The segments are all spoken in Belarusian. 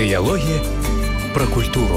Дыялогі пра культуру.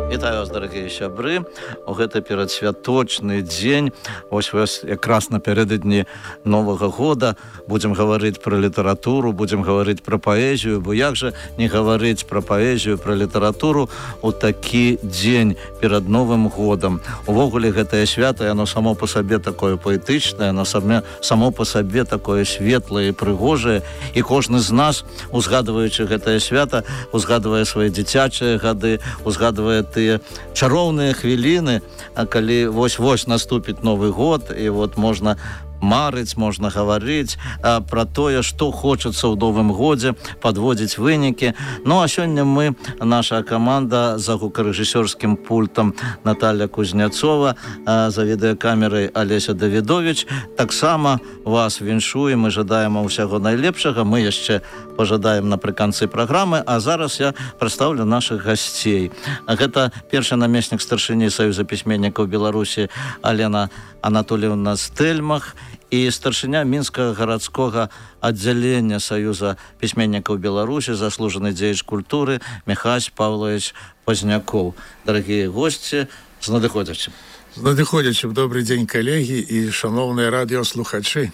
Вітаю вас, дарагія сябры. У гэты перадсвяточны дзень, ось якраз напярэдадні Новага года, будзем гаварыць пра літаратуру, будзем гаварыць пра паэзію, бо як жа не гаварыць пра паэзію, пра літаратуру у такі дзень перад Новым годам. Увогуле гэтае свята, яно само па сабе такое паэтычнае, яно само па сабе такое светлае і прыгожае, і кожны з нас, узгадваючы гэтае свята, узгадвае свае дзіцячыя гады, узгадвае тыя чароўныя хвіліны, а калі вось-вось наступіць Новы год, і вот можна марыць, можна гаварыць пра тое, што хочацца ў Новым годзе, падводзіць вынікі. Ну, а сёння мы, наша каманда за гукарэжысёрскім пультам Наталья Кузняцова, за відэакамерай Алеся Давідович, таксама вас віншуем і жадаем ўсяго найлепшага. Мы яшчэ пажадаем напрыканцы праграмы, а зараз я прадстаўлю нашых гасцей. Гэта першы намеснік старшыні Саюза пісьменнікаў Беларусі Алена Анатольевна Стэльмах і старшыня Мінскага гарадскога аддзялення Саюза пісьменнікаў Беларусі, заслужаны дзеяч культуры Михась Павлович Пазнякоў. Дарагія госці, з надыходзячым. З надыходзячым. Добрый дзень, калегі і шановныя радыёслухачы.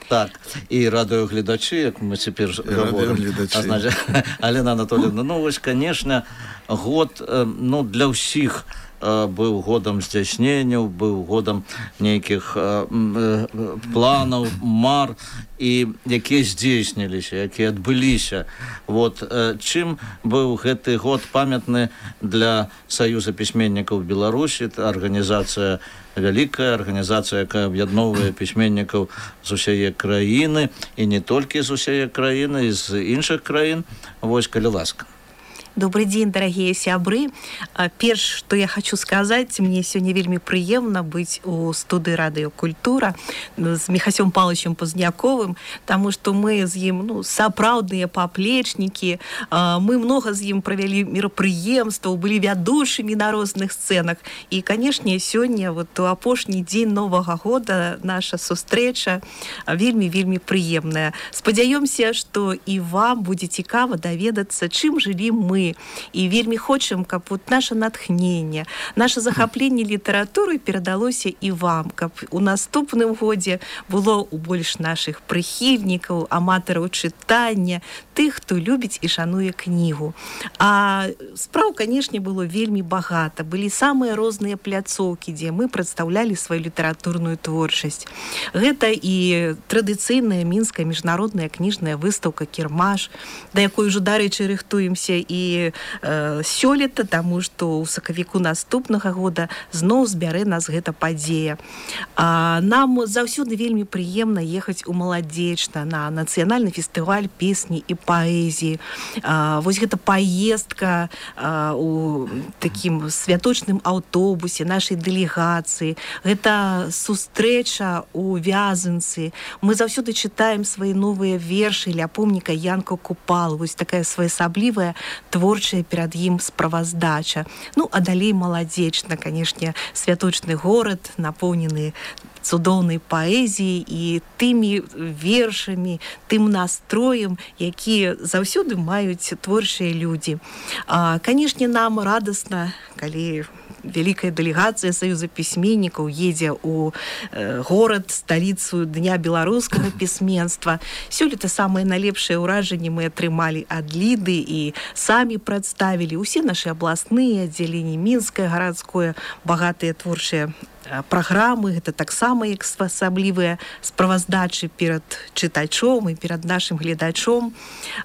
Так, і радыёгледачы, як мы цяпер говорим. Алена Анатольевна, ну вось, конечно, год, ну, для ўсіх быў годам здзяйсненняў, быў годам нейкіх планаў, мар, і якія здзейсніліся, якія адбыліся. Вот, чым быў гэты год памятны для Саюза пісьменнікаў Беларусі? Арганізацыя вялікая, арганізацыя, якая аб'ядноўвае пісьменнікаў з усяе краіны, і не толькі з усяе краіны, і з іншых краін. Вось, калі ласка. Добрый день, дорогие сябры. Перш, что я хочу сказать, мне сегодня вельмі прыемна быць у студыі радыёкультура з Михасем Павловичем Пазняковым, потому что мы з ім, ну, сапраўдныя паплечнікі, мы много з ім правялі мерапрыемстваў, былі вядучымі на розных сцэнах. І, конечно, сёння, вот у апошні дзень Новага года, наша сустрэча вельмі прыемная. Спадзяёмся, што і вам будзе цікава даведацца, чым жылі мы. І вельмі хочам, каб вот наше натхненне, наше захапленне літаратуры перадалося і вам, каб у наступным годзе было ў больш нашых прыхільнікаў, аматараў чытання, тых, хто любіць і шануе кнігу. А спраў, канешне, было вельмі багата. Былі самыя розныя пляцоўкі, дзе мы прадстаўлялі сваю літаратурную творчасць. Гэта і традыцыйная мінская міжнародная кніжная выстаўка «Кірмаш», да якой ужо, дарэчы, рыхтуемся і сёлета, таму што ў сакавіку наступнага года зноў збярэ нас гэта падзея. Нам заўсёды вельмі прыемна ехаць у Маладзечна на нацыянальны фестываль песні і паэзіі. Вось гэта паездка у такім святочным аўтобусе нашай дэлегацыі. Гэта сустрэча у Вязанцы. Мы заўсёды чытаем свае новыя вершы ля помніка Янка Купала. Вось такая своеасаблівая творчая перад ім справаздача. Ну, а далей Маладзечна, канешне, святочны горад, напоўнены цудоўнай паэзіяй і тымі вершамі, тым настроем, які заўсёды маюць творчыя людзі. Канешне, нам радасна, калі вялікая дэлегацыя Саюза пісьменнікаў едзе ў горад, сталіцу Дня беларускага пісьменства. Сёлета самыя найлепшыя ўражанні мы атрымалі ад Ліды і самі прадставілі ўсе нашы абласныя аддзяленні, Мінскае гарадское, багатыя творчыя праграмы. Гэта таксама як асаблівыя справаздачы перад чытачом і перад нашым гледачом.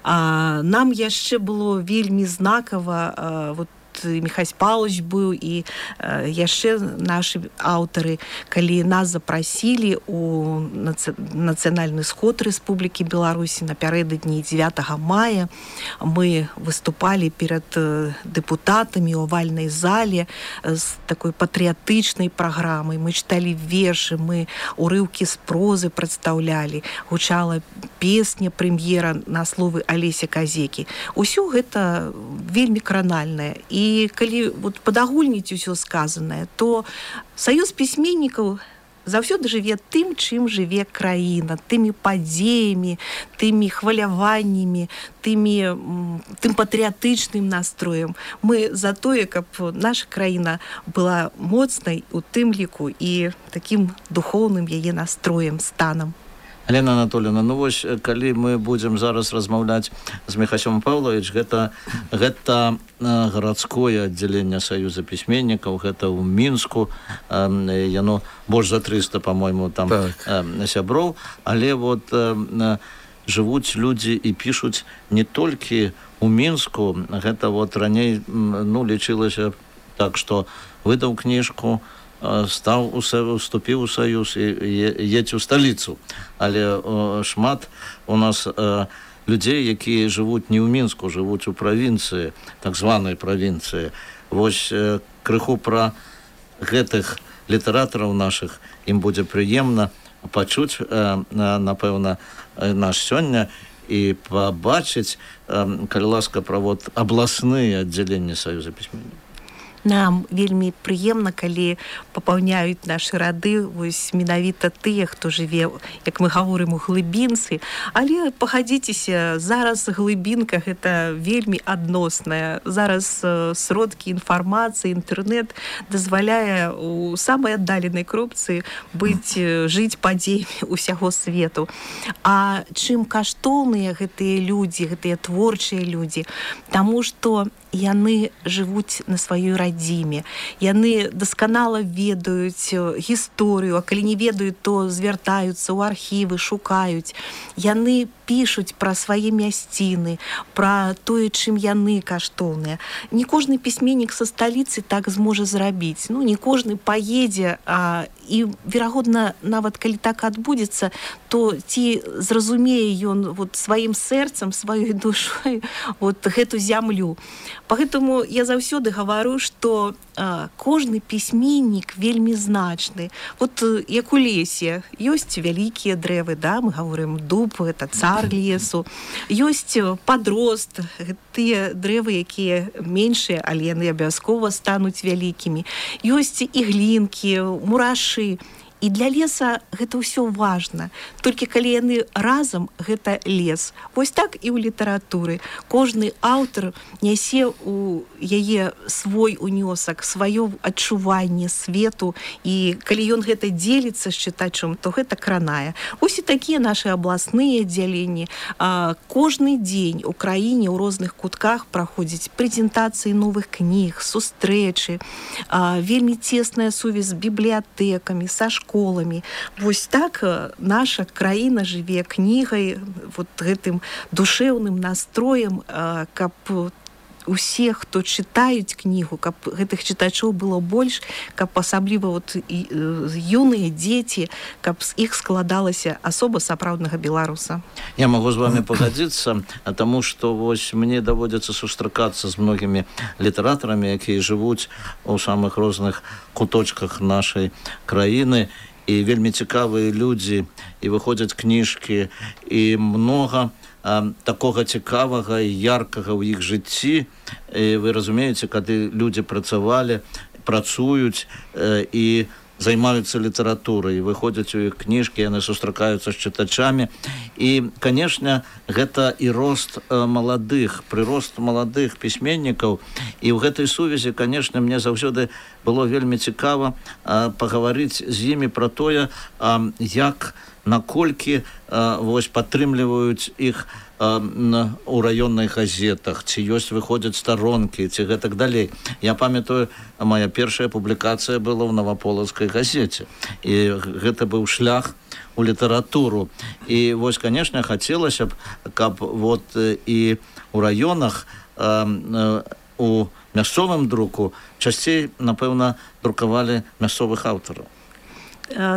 Нам яшчэ было вельмі знакава, вот Михась Павлович быў і яшчэ нашы аўтары, калі нас запрасілі у нацыянальны сход Рэспублікі Беларусі напярэдадні 9 мая. Мы выступалі перад дэпутатамі ў авальнай зале з такой патрыятычнай праграмай. Мы чыталі вершы, мы урыўкі з прозы прадстаўлялі, гучала песня прэм'ера на словы Алеся Казекі. Усё гэта вельмі кранальнае. І калі вот падагульніць усё сказанае, то Саюз пісьменнікаў заўсёды жыве тым, чым жыве краіна, тымі падзеямі, тымі хваляваннямі, тым патрыятычным настроем. Мы за тое, каб наша краіна была моцнай у тым ліку і такім духоўным яе настроем, станам. Алена Анатольевна, ну вось, калі мы будзем зараз размаўляць з Міхасём Павлович, гэта гарадское аддзяленне Саюза пісьменнікаў, гэта ў Мінску, яно больш за 300, па-мойму, там сяброў, але вот жывуць людзі і пішуць не толькі ў Мінску, гэта вот раней, ну, лічылася так, што выдаў кніжку, уступіў у Саюз і едзе ў сталіцу. Але шмат у нас людзей, якія жывуць не ў Мінску, жывуць у правінцыі, так званай правінцыі. Вось крыху пра гэтых літаратараў нашых ім будзе прыемна пачуць, напэўна, наш сёння і пабачыць, калі ласка, пра вот абласныя аддзяленні Саюза пісьменнікаў. Нам вельмі прыемна, калі папаўняюць нашы рады вось менавіта тыя, хто жыве, як мы гаворым, у глыбінцы. Але пагадзіцеся, зараз глыбінка гэта вельмі адносная. Зараз сродкі інфармацыі, інтэрнэт дазваляе у самай аддаленай кропцы жыць падзеямі ўсяго свету. А чым каштоўныя гэтыя людзі, гэтыя творчыя людзі? Таму што яны жывуць на сваёй радзіме. Яны дасканала ведаюць гісторыю, а калі не ведаюць, то звяртаюцца ў архівы, шукаюць. Яны пішуць пра свае мясціны, пра тое, чым яны каштоўныя. Не кожны пісьменнік са сталіцы так зможа зрабіць. Ну, не кожны паедзе, і, верагодна, нават калі так адбудзецца, то ці зразумее ён вот сваім сэрцам, сваёй душой вот гэту зямлю. Поэтому я заўсёды гавару, што кожны пісьменнік вельмі значны. Вот як у лесе ёсць вялікія дрэвы, да, мы гаворым дуб, это цар лесу. Ёсць падрост, тыя дрэвы, якія меншыя, але яны абавязкова стануць вялікімі. Ёсць іглінкі, мурашы. І для леса гэта ўсё важна. Толькі калі яны разам, гэта лес. Вось так і ў літаратуры. Кожны аўтар нясе ў яе свой унёсак, сваё адчуванне свету. І калі ён гэта дзеліцца з чытачом, то гэта кранае. Вось і такія нашы абласныя аддзяленні. Кожны дзень у краіне ў розных кутках праходзяць прэзентацыі новых кніг, сустрэчы. Вельмі цесная сувязь з бібліятэкамі, са школамі. Вось так наша краіна жыве кнігай, вот гэтым душэўным настроем, каб усе, хто чытаюць кнігу, каб гэтых чытачоў было больш, каб асабліва вот юныя дзеці, каб з іх складалася асоба сапраўднага беларуса. Я магу з вами пагадзіцца, таму што вось мне даводзіцца сустракацца з многімі літаратарамі, якія жывуць у самых розных куточках нашай краіны, і вельмі цікавыя людзі, і выходзяць кніжкі, і многа такога цікавага і яркага ў іх жыцці. І вы разумееце, калі людзі працуюць і займаюцца літаратурай, выходзяць у іх кніжкі, яны сустракаюцца з чытачамі. І, канешне, гэта і прырост маладых пісьменнікаў. І ў гэтай сувязі, канешне, мне заўсёды было вельмі цікава пагаварыць з імі пра тое, як, наколькі вось падтрымліваюць іх у раённых газетах, ці выходзяць старонкі, ці гэтак далей. Я памятаю, моя першая публікацыя была ў Наваполацкай газеце. І гэта быў шлях у літаратуру. І вось, канешне, хацелася б, каб вот і у раёнах, у мясцовым друку часцей, напэўна, друкавалі мясцовых аўтараў.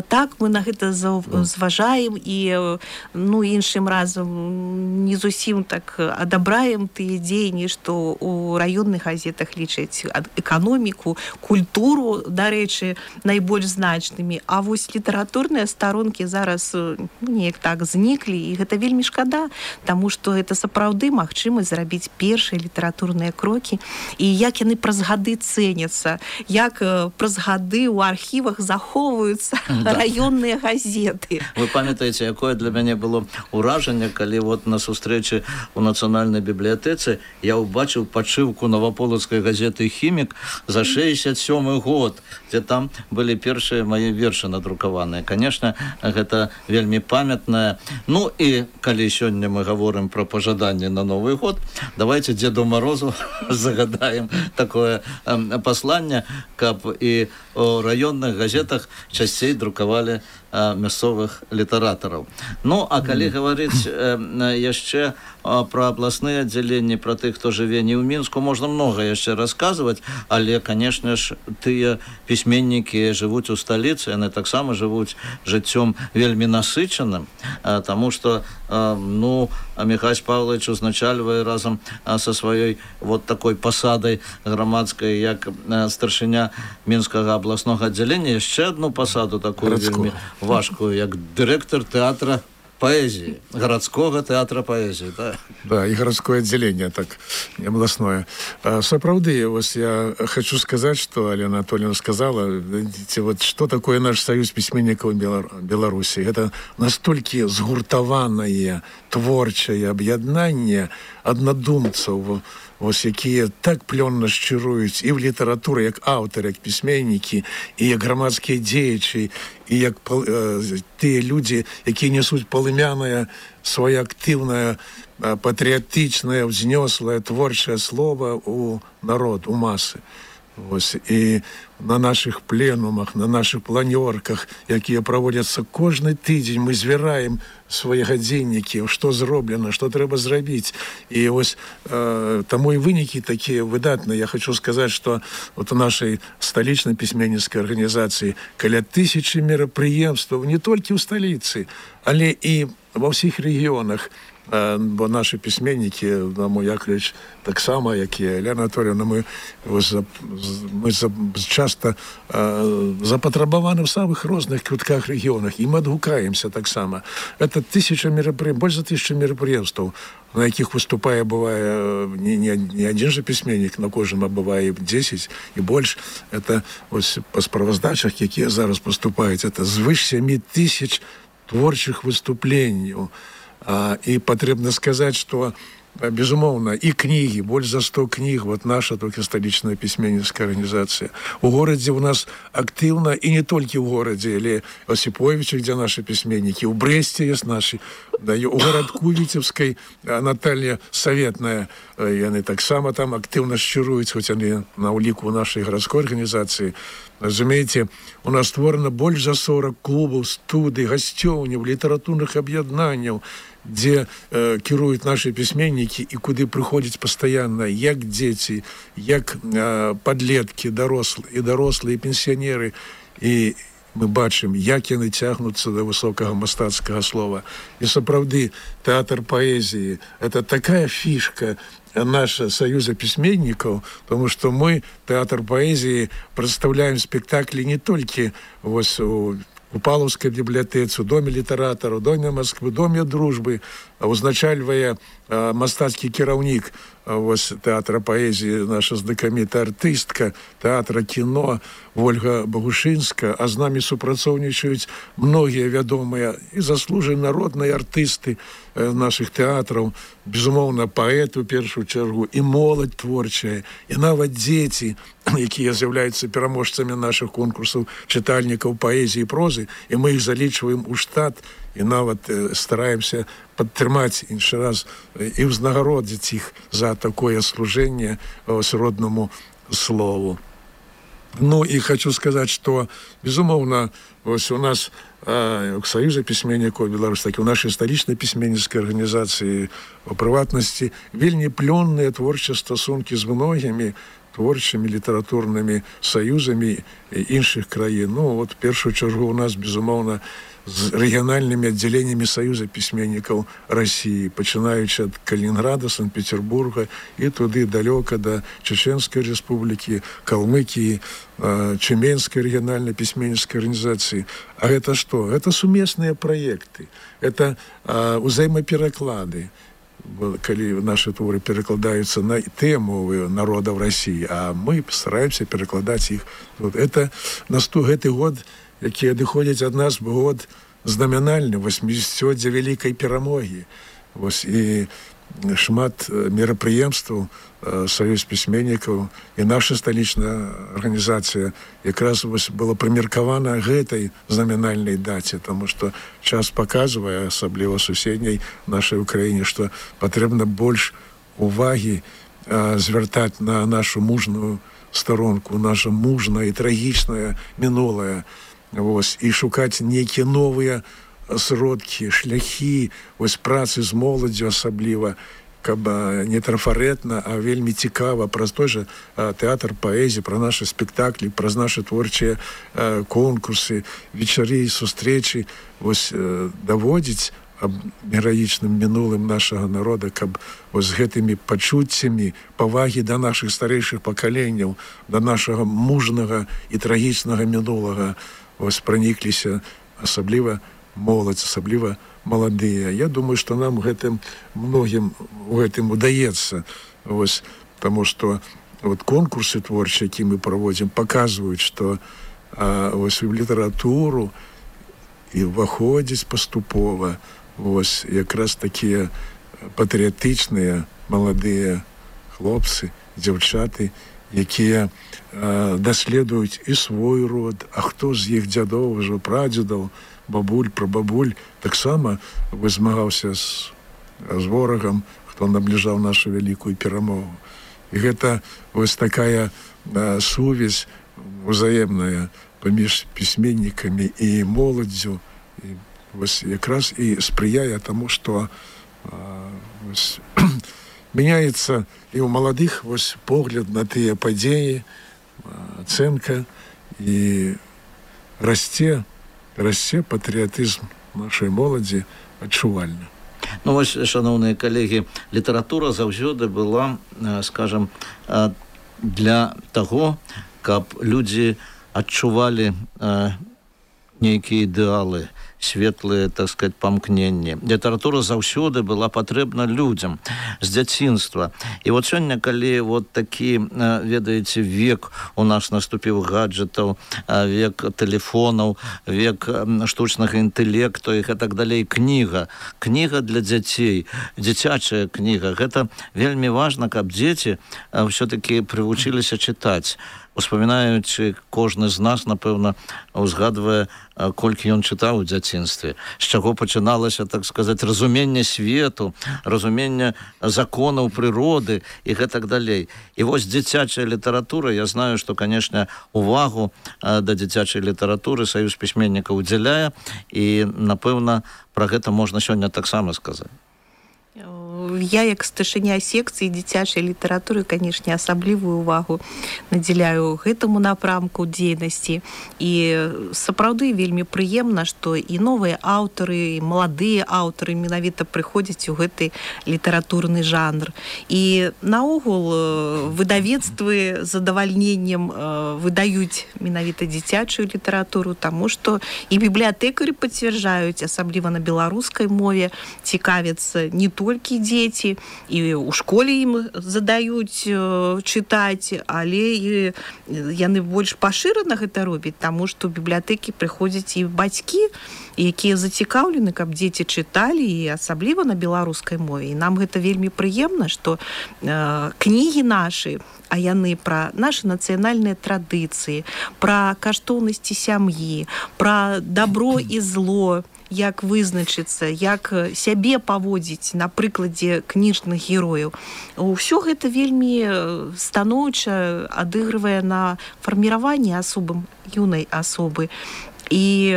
Так, мы на гэта зважаем і іншым разам не зусім так адабраем тыя дзеянні, што ў раённых газетах лічаць эканоміку, культуру, дарэчы, найбольш значнымі. А вось літаратурныя старонкі зараз неяк так зніклі, і гэта вельмі шкада, таму што гэта сапраўды магчымасць зрабіць першыя літаратурныя крокі, і як яны праз гады цэняцца, як праз гады ў архівах захоўваюцца раённыя газеты. Вы памятаеце, якое для мяне было ўражанне, калі вот на сустрэчы ў нацыянальнай бібліятэцы я ўбачыў падшыўку наваполацкай газеты «Хімік» за 67 год, дзе там былі першыя мае вершы надрукаваныя. Конечно, гэта вельмі памятнае. Ну і калі сёння мы гаворым про пажаданне на Новый год, давайте Деду Морозу загадаем такое посланне, каб і у раённых газетах часцей друкавалі мясцовых літаратараў. Ну, а калі гаварыць яшчэ пра абласныя аддзяленні, пра тых, хто жыве не ў Мінску, можна многа яшчэ расказваць, але, канешне ж, тыя пісьменнікі жывуць у сталіцы, яны таксама жывуць жыццём вельмі насычаным, таму што, ну, Михась Павлович узначальвае разам са сваёй вот такой пасадай грамадскай, як старшыня Мінскага абласнога аддзялення, яшчэ адну пасаду такую вельмі важкую, як дырэктар тэатра поэзии, городского театра поэзии, да? Да, и городское отделение, так, областное. Сапраўды, вот я хочу сказать, что Алена Анатольевна сказала, видите, вот что такое наш союз письменников Беларуси. Это настолько сгуртованное, творчее объединение однодумцев, ось якія так плённа шчыруюць і ў літаратуры, як аўтары, як пісьменнікі, і як грамадскія дзеячы, і як тыя людзі, якія нясуць палымянае, сваё актыўнае, патрыятычнае, ўзнёслае, творчае слова ў народ, у масы. Ось, і на наших пленумах, на наших планёрках, якія праводзяцца кожны тыдзень, мы звяраем свае гадзіннікі, што зроблена, што трэба зрабіць. І ось таму і вынікі такія выдатныя. Я хочу сказаць, што вот у нашай сталічнай пісьменніцкай арганізацыі каля 1000 мерапрыемстваў не толькі ў сталіцы, але і ва ўсіх рэгіёнах. Бо наши письменники, мой Яковлевич, так само, як і Елена Анатольевна, ми часто запатрабаваны в самых розных кутках регионах, і мы адгукаемся так само. Это 1000 мерапрыемств, больше 1000 мерапрыемстваў, на якіх выступае, бывае, не один же письменник, на кожным, а бывае 10 і больш. Это ось по справаздачах, якія зараз поступаюць, это звыш 7000 творчих выступленняў. И потребно сказать, что, безумовно, и книги, больше за 100 книг, вот наша только столичная письменницкая организация. У городе у нас активно, и не только в городе, или Осиповиче, где наши письменники, у Бресте есть наши, да, и у городку Витебской Наталья Советная, и они так само там активно шчыруюць, хоть они на улику нашей городской организации. Разумеете, у нас створено больше за 40 клубов, студий, гасцёўняў, літаратурных аб'яднанняў, дзе кіруюць наши пісьменнікі і куды прыходзяць пастаянна як дзеці, як падлеткі, дарослыя, і пенсіянеры. І мы бачым, як яны цягнуцца да высокага мастацкага слова. І сапраўды, тэатр паэзіі — это такая фішка наша Союза письменников, потому что мы, театр поэзии, представляем спектакли не только у Павловской библиотеке, у Доме литераторов, Доме Москвы, Доме дружбы, узначальвая мастацкі кіраўнік театра поэзии, наша знакамітая артыстка театра кино Ольга Богушинская, а з нами супрацоўнічаюць многія вядомыя і заслуженыя народныя артысты наших театраў, безумоўна, паэты, у першую чаргу, і моладзь творчая, і нават дзеці, якія з'яўляюцца пераможцамі наших конкурсаў чытальнікаў паэзіі і прозы, і мы іх залічваем у штат, і нават стараемся падтрымаць іншы раз і ўзнагародзіць іх за такое служэнне родному слову. Ну и хочу сказать, что, безумовно, у нас в Союзе письменников Беларуси, так и в нашей столичной письменницкой организации, в приватности, вельмі плённые творчыя стасунки с многими творчими литературными союзами іншых краін. Ну, вот в першую чергу у нас, безумовно, з региональными отделениями Союза письменников России, пачинаючи от Калининграда, Санкт-Петербурга и туды далеко до Чеченской республики, Калмыкии, Чеменской региональной письменнической организации. А это что? Это совместные проекты, это взаимопереклады. Калі наши творы перекладаются на те мовы народов России, а мы стараемся перекладать их. Вот это на гэты год якія адыходзяць ад нас год знамянальны, 80-летие вялікай перамогі. Вось, і шмат мерапрыемстваў Саюз пісьменнікаў і наша сталічная арганізацыя якраз была прымеркавана гэтай знамянальнай даце, таму што час паказвае, асабліва суседняй нашай Украіне, што патрэбна больш увагі звяртаць на нашу мужную старонку, наша мужнае і трагічнае мінулае, вось, і шукаць нейкія новыя сродкі, шляхі, вось, працы з моладдзю асабліва, каб не трафарэтна, а вельмі цікава праз той жа тэатр паэзіі, пра нашы спектаклі, праз нашы творчыя конкурсы, вечары і сустрэчы, вось, даводзіць аб гераічным мінулым нашага народа, каб вось гэтымі пачуццямі павагі да нашых старэйшых пакаленняў, да нашага мужнага і трагічнага мінулага вось пранікліся асабліва моладзь, асабліва маладыя. Я думаю, што нам гэтым многім у гэтым удаецца, вось, таму што вот конкурсы творчыя, які мы праводзім, паказваюць, што вось у літаратуру і ўваходзіць паступова вось якраз такія патрыятычныя маладыя хлопцы, дзяўчаты, якія даследуюць і свой род, а хто з іх дзядоў, ужо прадзедаў, бабуль, прабабуль, таксама змагаўся з ворагам, хто набліжаў нашу вялікую перамогу. І гэта вось такая сувязь узаемная паміж пісьменнікамі і моладдзю, і вось якраз і спрыяе таму, што вось, мяняецца і ў маладых вось погляд на тыя падзеі, ацэнка, і расце патрыятызм нашай моладзі адчувальна. Ну вось, шановныя калегі, літаратура заўсёды была, скажам, для таго, каб людзі адчувалі нейкія ідэалы, светлыя, так сказать, памкненні. Літаратура заўсёды была патрэбна людзям з дзяцінства. І вот сёння, калі вот такі, ведаеце, век у нас наступіў гаджетаў, век тэлефонаў, век штучнага інтэлекту і так далей, кніга для дзяцей, дзіцячая кніга, гэта вельмі важна, каб дзеці ўсё-такі прывучыліся чытаць. Успамінаючы, кожны з нас, напэўна, узгадвае, колькі ён чытаў у дзяцінстве, з чаго пачыналася, так сказаць, разуменне свету, разуменне законаў прыроды і гэтак далей. І вось дзіцячая літаратура, я знаю, што, канешне, увагу да дзіцячай літаратуры Саюз пісьменнікаў удзяляе, і, напэўна, пра гэта можна сёння таксама сказаць. Я, як старшыня секцыі дзіцячай літаратуры, канешне, асаблівую увагу надзяляю гэтаму напрамку дзейнасці. І сапраўды вельмі прыемна, што і новыя аўтары, і маладыя аўтары менавіта прыходзяць у гэты літаратурны жанр. І наогул выдавецтвы з задавальненнем выдаюць менавіта дзіцячую літаратуру, таму што і бібліятэкары пацвярджаюць, асабліва на беларускай мове, цікавяцца не толькі дзеці, і ў школе ім задаюць чытаць, але і яны больш пашырана гэта робяць, таму што ў бібліятэкі прыходзяць і бацькі, якія зацікаўлены, каб дзеці чыталі, і асабліва на беларускай мове. І нам гэта вельмі прыемна, што кнігі нашы, а яны пра нашы нацыянальныя традыцыі, пра каштоўнасці сям'і, пра дабро і зло, як вызначыцца, як сябе паводзіць на прыкладзе кніжных герояў. Усё гэта вельмі станоўча адыгрывае на фарміраванні асобы, юнай асобы. І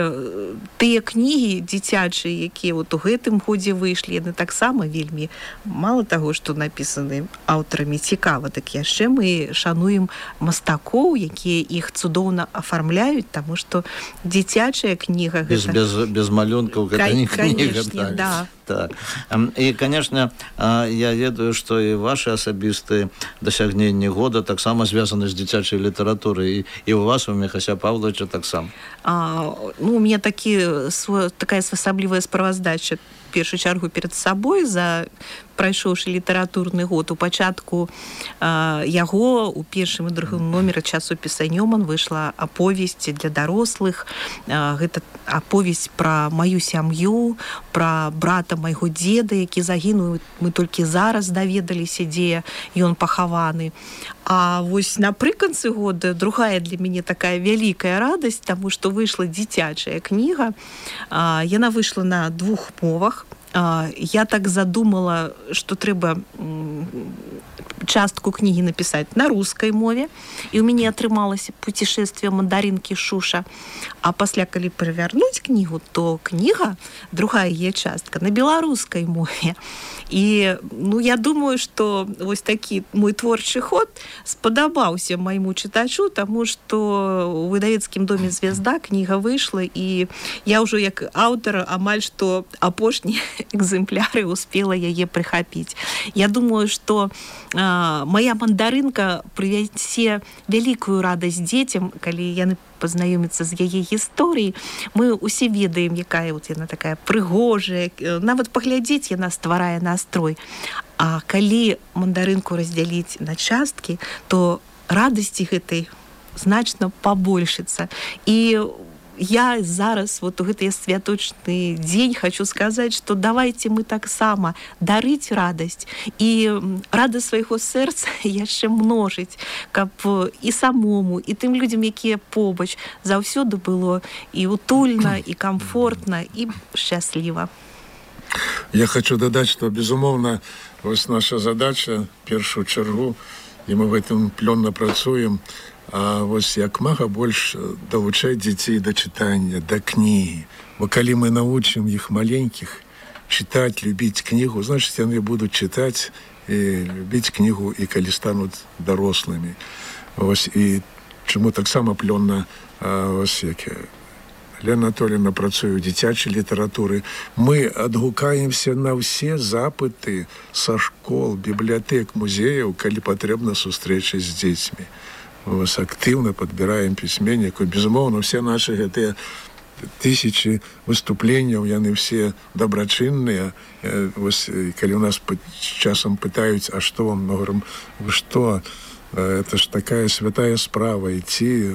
тыя кнігі дзіцячыя, якія вот у гэтым годзе выйшлі, яны таксама вельмі, мала таго, што напісаны аўтарамі цікава, так яшчэ мы шануем мастакоў, якія іх цудоўна афармляюць, таму што дзіцячая кніга гэта... Без малюнкаў гэта не кніга. Канешне, да. Так. І, канешне, я ведаю, што і вашы асабістыя дасягненні года таксама звязаны з дзіцячай літаратурай, і у вас, у Міхася Павловича, таксама. У мяне такая асаблівая справаздача першую чаргу перад сабой за прайшоўшы літаратурны год. У пачатку яго у першым і другім номеры часопіса «Нёман» выйшла аповесць для дарослых. Гэта аповесць пра маю сям'ю, пра брата майго дзеда, які загінуў. Мы толькі зараз даведаліся, дзе ён пахаваны. А вось напрыканцы года другая для мяне такая вялікая радасць, таму што выйшла дзіцячая кніга. Яна выйшла на 2 мовах. Я так задумала, што трэба частку кнігі напісаць на рускай мове, і ў мяне атрымалася «Путешествие мандаринки Шуша». А пасля, калі перавярнуць кнігу, то кніга, другая яе частка, на беларускай мове. І я думаю, што вось такі мой творчы ход спадабаўся майму чытачу, таму што у выдавецкім доме «Звезда» кніга выйшла, і я ўжо як аўтар амаль што апошні экземпляры успела яе прыхапіць. Я думаю, што моя мандарынка прывясе вялікую радасць дзецям, калі яны пазнаёмяцца з яе гісторыяй. Мы ўсе ведаем, якая яна такая прыгожая, нават паглядзець яна стварае настрой. А калі мандарынку раздзяліць на часткі, то радасці гэтай значна пабольшыцца. І я зараз вот у гэты святочны дзень хочу сказаць, што давайте мы таксама дарыць радасць і радасць свайго сэрца яшчэ множыць, каб і самому, і тым людзям, якія побач, заўсёды было і утульна, і комфортна, і шчасліва. Я хочу дадаць, што, безумоўна, вось наша задача, першую чаргу, і мы в гэтым плённа працуем, а вось як мага больш далучаць дзяцей да чытання, да кнігі. Бо калі мы навучым іх маленькіх чытаць, любіць кнігу, значыць, яны будуць чытаць і любіць кнігу, і калі стануць дарослымі. Вось, і чаму таксама плённа, вось, як Лена Анатольевна працуе ў дзіцячай літаратуры, мы адгукаемся на ўсе запыты са школ, бібліятэк, музеяў, калі патрэбна сустрэчы з дзецьмі. Актыўна падбіраем пісьменнікаў. Безумоўна, все наши гэтыя тысячи выступленняў, яны все дабрачынныя. Калі у нас часам пытаюць, а што вам? Мы говорим, вы што? Это ж такая святая справа, ідти,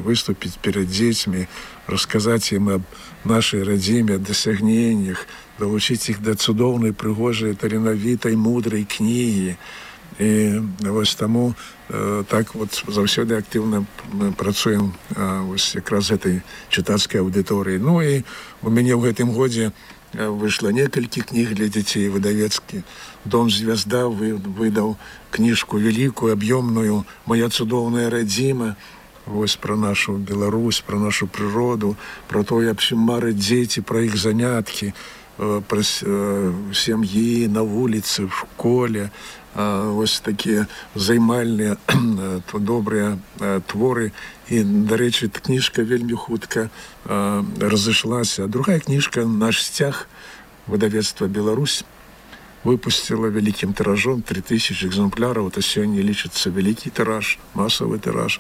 выступіць перед дзецьмі, расказаць ім аб нашай радзіме, дасягненнях, далучыць іх да цудоўнай, прыгожай, таленавітай, мудрай кнігі. І вось таму так вот заўсёды актыўна мы працуем вось якраз гэтай чытацкай аўдыторыі. Ну і у мяне ў гэтым годзе выйшла некалькі кніг для дзяцей. Выдавецкі дом «Звезда» выдаў кніжку вялікую, аб'ёмную «Моя цудоўная радзіма», вось пра нашу Беларусь, пра нашу прыроду, пра тое, аб чым мараць дзеці, пра іх заняткі, пра сям'і, на вуліцы, в школе. Вось такія займальныя, добрыя творы. І, дарэчы, кніжка вельмі хутка разышлася. Другая кніжка «Наш сцяг», выдавецтва «Беларусь», выпустила вялікім тиражом 3000 экземпляраў. Это сёння лічыцца вялікі тираж, масавы тираж.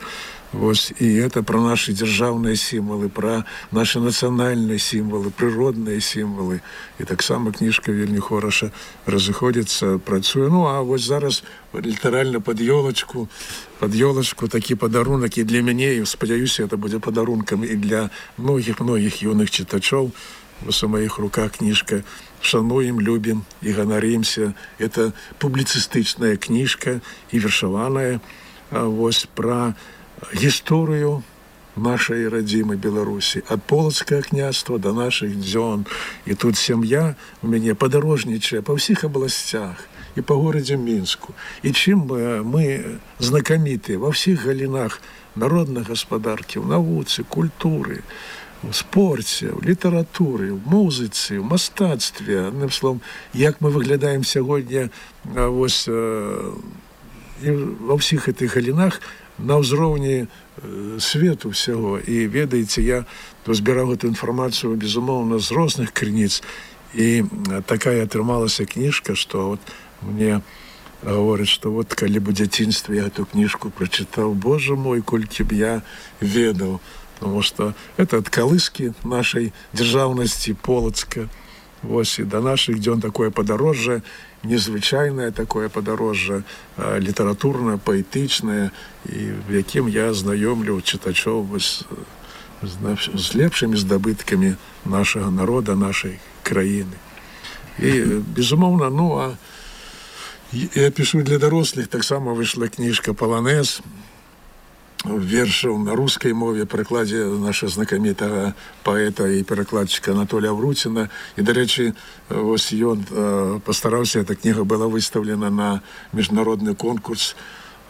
Вось, і это пра нашы дзяржаўныя сімвалы, пра нашы нацыянальныя сімвалы, прыродныя сімвалы. І таксама кніжка вельмі хораша разыходзіцца, працуе. Ну, а вось зараз літаральна пад ёлачку такі падарунак і для мяне, і спадзяюся, это будзе падарункам і для многіх юных чытачоў. Вось у маіх руках кніжка «Шануем, любім і ганарымся». Это публіцыстычная кніжка і вершаваная вось пра гісторыю нашай радзімай Беларусі, ад полацкага княства да нашых дзён. І тут сям'я у мяне падарожнічае па ўсіх абласцях і па горадзе Мінску. І чым мы знакамітыя ва ўсіх галінах народнай гаспадаркі, ў навуцы, культуры, у спорце, у літаратуры, у музыцы, у мастацтве. Адным словом, як мы выглядаем сягоння вось ва ўсіх гэтых галінах на ўзроўні свету ўсяго. І ведаеце, я збіраў гэту інфармацыю, безумоўна, з розных крыніц. І такая атрымалася кніжка, што вот мне говораць, што вот калі б у дзяцінстве я эту кніжку прачытаў, Боже мой, колькі б я ведаў. Потому что это от колыски нашей державности Полоцка. Вось, і да нашых дзён такое падарожжа, незвычайнае такое падарожжа, літаратурнае, паэтычнае, і в якім я знаёмлю чытачоў вось з лепшымі здабыткамі нашага народа, нашай краіны. І, безумоўна, я пишу для дарослых, таксама выйшла кніжка «Паланез», вершаў на рускай мове, перакладзе нашага знакамітага паэта і перакладчыка Анатолія Авруціна. І, дарэчы, вось ён пастараўся, эта кніга была выстаўлена на міжнародны конкурс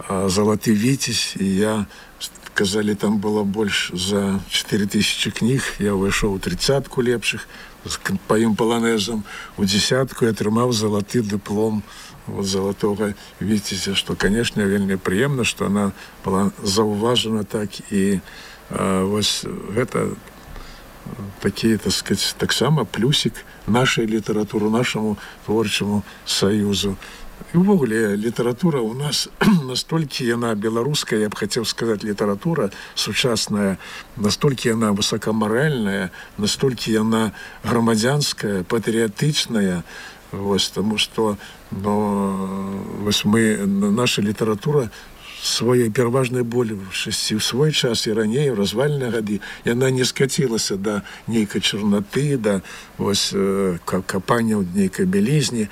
«Залаты віцязь», і я, казалі, там было больш за 4000 кніг, я ўвайшоў у 30-ку лепшых па ім паланезам, у 10-ку я атрымаў залаты дыплом вот залатога віцязя, што, канешне, вельмі прыемна, што она была заўважана так, і вось гэта такі, так сказать, таксама плюсік нашай літаратуры, нашаму творчаму саюзу. І ўвогуле літаратура у нас настолькі яна беларуская, я б хацеў сказаць, літаратура сучасная, настолькі яна высокамаральная, настолькі яна грамадзянская, патрыятычная, вось, таму што наша літаратура сваёй пераважнай большасці ў свой час і раней, у развальныя гады, яна не скацілася да нейкай чарнаты, да капання ў нейкай бялізні,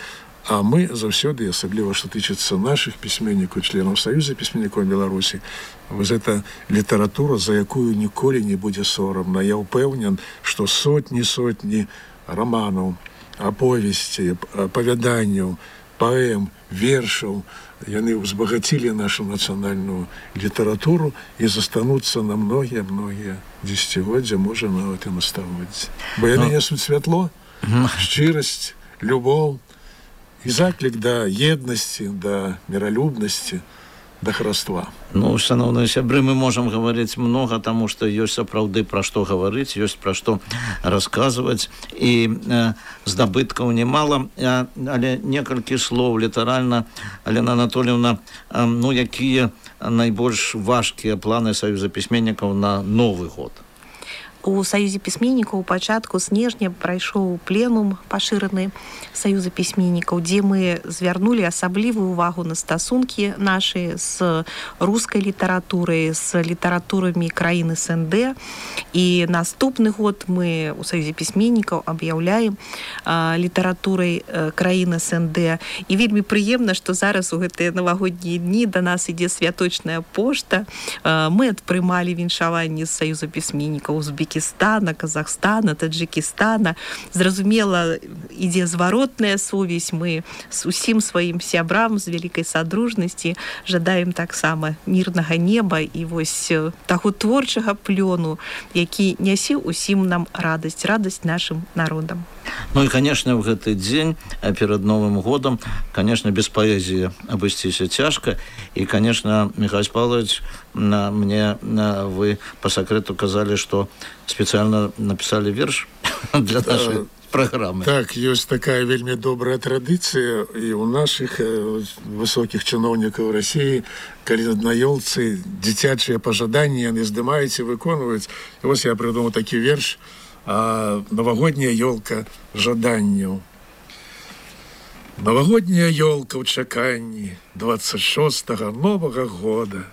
а мы заўсёды, асабліва што тычыцца нашых пісьменнікаў, членаў Саюза пісьменнікаў Беларусі, вось гэта літаратура, за якую ніколі не будзе сорамна. Я ўпэўнен, што сотні раманаў, аповесці, апавяданняў, паэм, вершаў, яны ўзбагацілі нашу нацыянальную літаратуру і застануцца на многія дзесяцігоддзя, можа, нават і на стагоддзі. Бо яны несуць святло, шчырасць, любоў і заклік да еднасці, да міралюбнасці, да хараства. Шановныя сябры, мы можам гаварыць многа, таму што ёсць сапраўды пра што гаварыць, ёсць пра што расказваць, і здабыткаў немала, але некалькі слоў літаральна. Алена Анатольевна, якія найбольш важкія планы Саюза пісьменнікаў на Новы год? У Саюзе пісьменнікаў у пачатку снежня прайшоў пленум пашыраны Саюза пісьменнікаў, дзе мы звярнулі асаблівую увагу на стасункі нашы з рускай літаратурай, з літаратурамі краіны СНД. І наступны год мы у Саюзе пісьменнікаў аб'яўляем літаратурай краіны СНД. І вельмі прыемна, што зараз у гэтыя навагоднія дні да нас ідзе святочная пошта. Мы адпрымалі віншаванні з Саюза пісьменнікаў Узбекістана, Казахстана, Таджикістана. Зразумела, ідзе зваротная сувязь. Мы з усім сваім сябрам з вялікай садружнасці жадаем таксама мірнага неба і вось таго творчага плёну, які нясе усім нам радасць нашым народам. І, конечно, в гэты дзень перад Новым годам, конечно, без паэзіі абысціся цяжка. І, конечно, Михаил Павлович, мне вы по секрету казалі, што спецыяльна напісалі верш для нашай праграмы. Так, ёсць такая вельмі добрая традыцыя і ў нашых высокіх чыноўнікаў Расіі, калі на ёлцы дзіцячыя пажаданні яны здымаюць і выконваюць. І вось я прыдумаў такі верш «Новогодняя ёлка жаданняў». Новогодняя ёлка ў чаканні 26-го Новага года.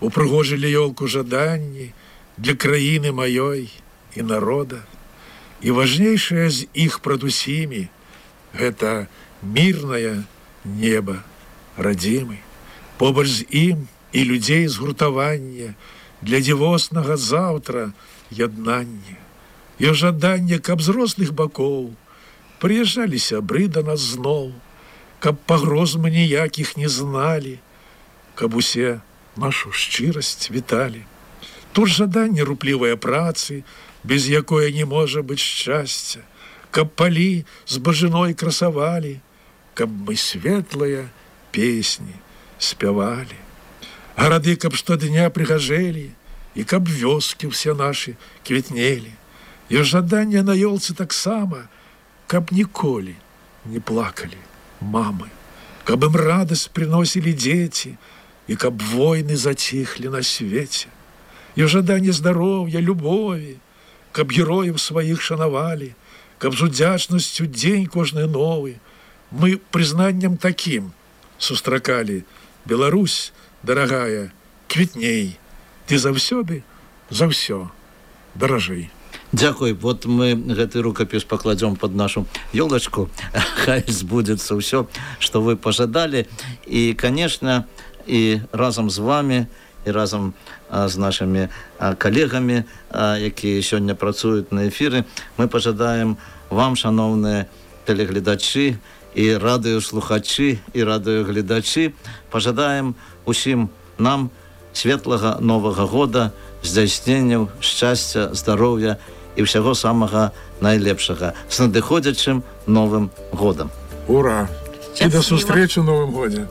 Упрыгожылі ёлку жаданні для краіны маёй і народа. І важнейшае з іх прад усімі гэта мірнае неба радзімы. Побач з ім і людзей згуртавання для дзівоснага заўтра яднання. І жаданне, каб з розных бакоў прыязджалі сябры да нас зноў, каб пагроз мы ніякіх не зналі, каб усе нашу шчырасць віталі. Тут жаданне руплівае працы, без якое не можа быць шчасця, каб палі з бажыной красавалі, каб мы светлыя песні спявалі. Гарады, каб штодня прыгажэлі, і каб вёскі ўсе нашы квітнелі. І жаданне на ёлцы таксама, каб ніколі не плакалі мамы, каб ім радасць прыносілі дзеці, і каб войны заціхлі на свеце. І жаданне здароўя, любові, каб герояў сваіх шанавалі, каб з удзячнасцю дзень кожны новы мы прызнаннем такім сустракалі. Беларусь, дарагая, квітней, ты заўсёды за ўсё даражэй. Дзякуй. Вот мы гэты рукапіс пакладзём под нашу ёлачку. Хай збудзецца ўсё, што вы пажадалі. І, конечно, і разам з вами, і разам з нашымі калегамі, якія сёння працуюць на эфіры, мы пажадаем вам, шаноўныя тэлегледачы, і радыёслухачы, і радыёгледачы, пажадаем усім нам светлага Новага года, здзяйсненняў шчасця, здароўя і ўсяго самага найлепшага. З надыходзячым Новым годам. Ура! І да сустрэчы ў Новым годзе!